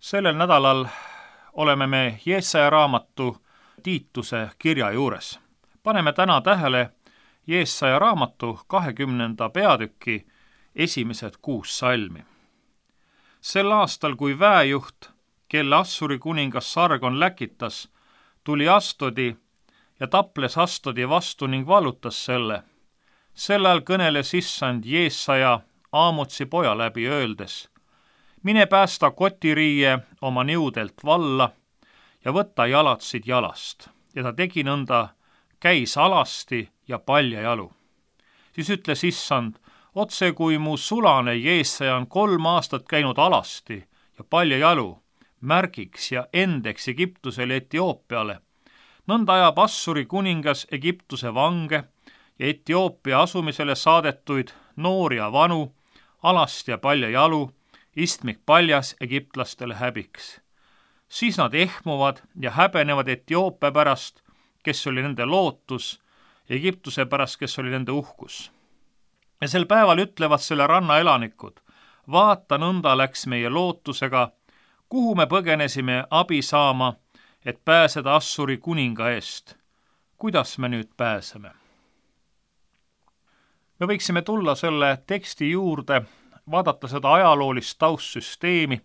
Sellel nädalal oleme me Jeesaja raamatu Tiituse kirja juures. Paneme täna tähele Jeesaja raamatu 20. peatüki esimesed 6 salmi. Sel aastal, kui väejuht, kelle Assuri kuningas Sargon läkitas, tuli Astodi ja taples Astodi vastu ning vallutas selle. Sel ajal kõneles issand Jeesaja Aamotsi poja läbi öeldes: mine päästa kotiriie oma niudelt valla ja võta jalatsid jalast. Ja ta tegi nõnda, käis alasti ja paljajalu. Siis ütles issand: otse kui mu sulane Jeesaja on 3 aastat käinud alasti ja paljajalu, märgiks ja endeks Egiptusele Etioopiale. Nõnda ajab Assuri kuningas Egiptuse vange ja Etioopia asumisele saadetuid noori ja vanu, alast ja paljajalu, istmik paljas egiptlastele häbiks. Siis nad ehmuvad ja häbenevad Etioopia pärast, kes oli nende lootus, Egiptuse pärast, kes oli nende uhkus. Ja sel päeval ütlevad selle ranna elanikud: vaata, nõnda läks meie lootusega, kuhu me põgenesime abi saama, et pääseda Assuri kuninga eest. Kuidas me nüüd pääseme? Me võiksime tulla selle teksti juurde, vaadata seda ajaloolist taustsüsteemi,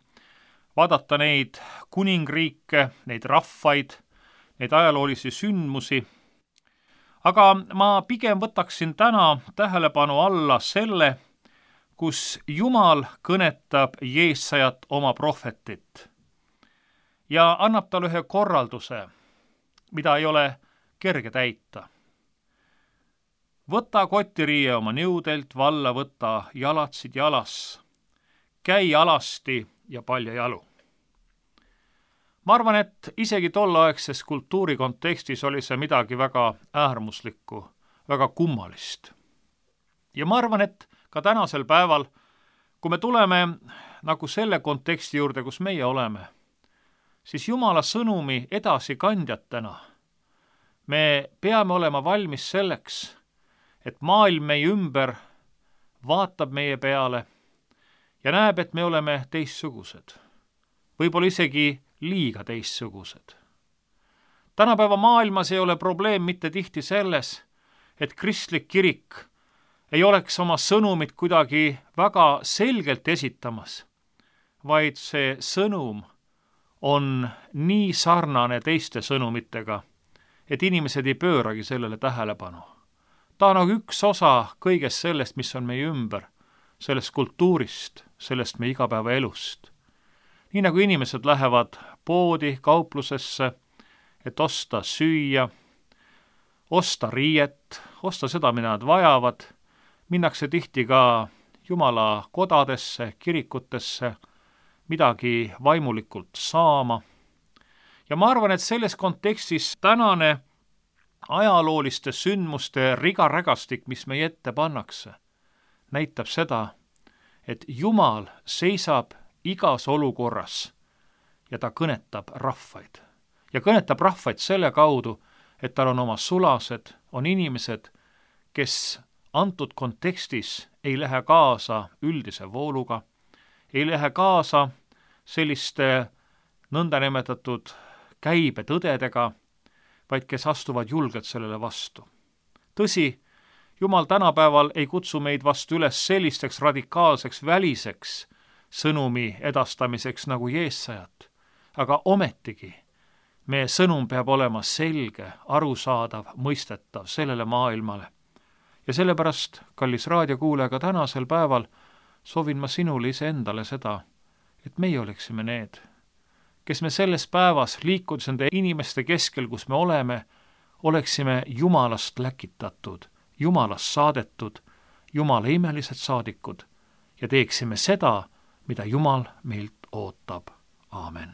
vaadata neid kuningriike, neid rahvaid, neid ajaloolisi sündmusi. Aga ma pigem võtaksin täna tähelepanu alla selle, kus Jumal kõnetab Jeesajat oma prohvetit ja annab talle ühe korralduse, mida ei ole kerge täita. Võta kotiriie oma niudelt, valla võta jalatsid jalas, käi alasti ja paljajalu. Ma arvan, et isegi tolleaegses kultuuri kontekstis oli see midagi väga äärmuslikku, väga kummalist. Ja ma arvan, et ka tänasel päeval, kui me tuleme nagu selle konteksti juurde, kus meie oleme, siis Jumala sõnumi edasikandjatena me peame olema valmis selleks, et maailm meie ümber vaatab meie peale ja näeb, et me oleme teistsugused. Võib-olla isegi liiga teistsugused. Tänapäeva maailmas ei ole probleem mitte tihti selles, et kristlik kirik ei oleks oma sõnumit kuidagi väga selgelt esitamas, vaid see sõnum on nii sarnane teiste sõnumitega, et inimesed ei pööragi sellele tähelepanu. Ta on nagu üks osa kõigest sellest, mis on meie ümber, sellest kultuurist, sellest meie igapäevaelust. Nii nagu inimesed lähevad poodi, kauplusesse, et osta süüa, osta riiet, osta seda, mida nad vajavad, minnakse tihti ka Jumala kodadesse, kirikutesse, midagi vaimulikult saama. Ja ma arvan, et selles kontekstis tänane ajalooliste sündmuste rigarägastik, mis meie ette pannakse, näitab seda, et Jumal seisab igas olukorras ja ta kõnetab rahvaid. Ja kõnetab rahvaid selle kaudu, et tal on oma sulased, on inimesed, kes antud kontekstis ei lähe kaasa üldise vooluga, ei lähe kaasa selliste nõndanimetatud käibetõdedega, vaid kes astuvad julgelt sellele vastu. Tõsi, Jumal tänapäeval ei kutsu meid vastu üles sellisteks radikaalseks väliseks sõnumi edastamiseks nagu Jeesajat, aga ometigi meie sõnum peab olema selge, arusaadav, mõistetav sellele maailmale. Ja sellepärast, kallis raadiokuulaja, ka tänasel päeval soovin ma sinule iseendale seda, et meie oleksime need, kes me selles päevas, liikudes nende inimeste keskel, kus me oleme, oleksime Jumalast läkitatud, Jumalast saadetud, Jumala imelised saadikud ja teeksime seda, mida Jumal meilt ootab. Aamen.